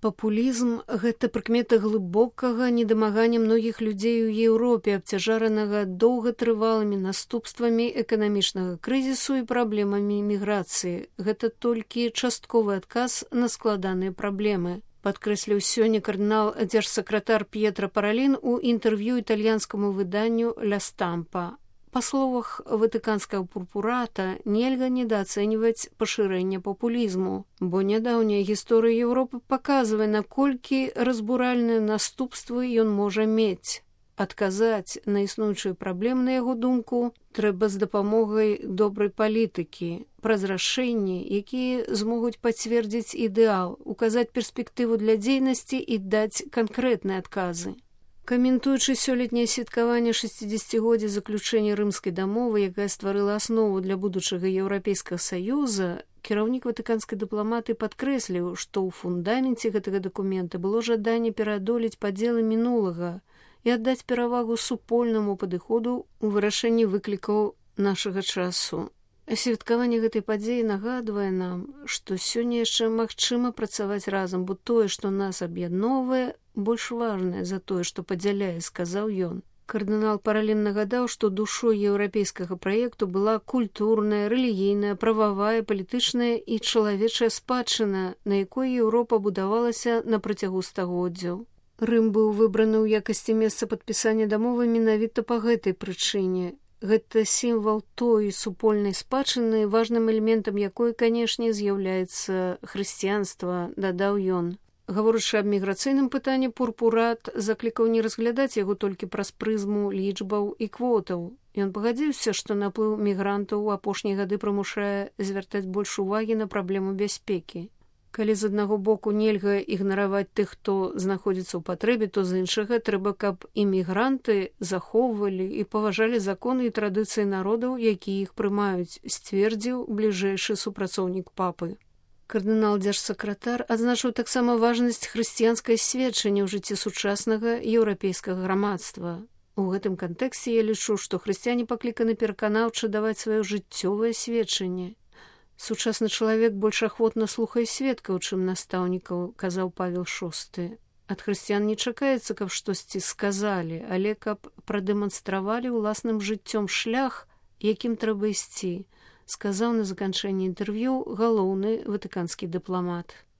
Папулізм – гэта прыкмета глыбокага недамагання многіх людзей у Еўропе, абцяжаранага доўгатрывалымі наступствамі эканамічнага крызісу і праблемамі міграцыі. Гэта толькі частковы адказ на складаныя праблемы. Падкрэсліў сёння кардынал-дзяржсакратар П'етра Паралін у інтэрв'ю італьянскаму выданню «Ля Стампа». Па словах ватыканскага пурпурата, нельга недаацэньваць пашырэнне папулізму, бо нядаўняя гісторыя Еўропы паказвае, наколькі разбуральныя наступствы ён можа мець. Адказаць на існуючыя праблемы, на яго думку, трэба з дапамогай добрай палітыкі, праз рашэнні, якія змогуць пацвердзіць ідэал, указаць перспектыву для дзейнасці і даць канкрэтныя адказы. Каментуючы сёлетняе святкаванне 60-годдзя заключэння рымскай дамовы, якая стварыла аснову для будучага Еўрапейскага саюза, кіраўнік ватыканскай дыпламатыі падкрэсліў, што ў фундаменце гэтага дакумента было жаданне пераадолець падзелы мінулага і аддаць перавагу супольнаму падыходу ў вырашэнні выклікаў нашага часу. Святкаванне гэтай падзеі нагадвае нам, што сёння яшчэ магчыма працаваць разам, бо тое, што нас аб'ядноўвае, больш важнае за тое, што падзяляе, сказаў ён. Кардынал Паралін нагадаў, што душой еўрапейскага праекту была культурная, рэлігійная, прававая, палітычная і чалавечая спадчына, на якой Еўропа будавалася на працягу стагоддзяў. Рым быў выбраны ў якасці месца падпісання дамовы менавіта па гэтай прычыне. Гэта сімвал той супольнай спадчыны, важным элементам якой, канешне, з'яўляецца хрысціянства, дадаў ён. Гаворачы аб міграцыйным пытанні, пурпурат заклікаў не разглядаць яго толькі праз прызму лічбаў і квотаў. Ён пагадзіўся, што наплыў мігрантаў у апошнія гады прымушае звяртаць больш увагі на праблему бяспекі. Калі з аднаго боку нельга ігнараваць тых, хто знаходзіцца ў патрэбе, то з іншага трэба, каб імігранты захоўвалі і паважалі законы і традыцыі народаў, якія іх прымаюць, сцвердзіў бліжэйшы супрацоўнік папы. Кардынал-дзяржсакратар адзначыў таксама важнасць хрысціянскай сведчання ў жыцці сучаснага еўрапейскага грамадства. У гэтым кантэксце я лічу, што хрысціяне пакліканы пераканаўча даваць сваё жыццёвае сведчанне. Сучасны чалавек больш ахвотна слухае сведкаў, чым настаўнікаў, казаў Павел VI. Ад хрысціян не чакаецца, каб штосьці сказалі, але каб прадэманстравалі ўласным жыццём шлях, якім трэба ісці, сказаў на заканчэнні інтэрв'ю галоўны ватыканскі дыпламат.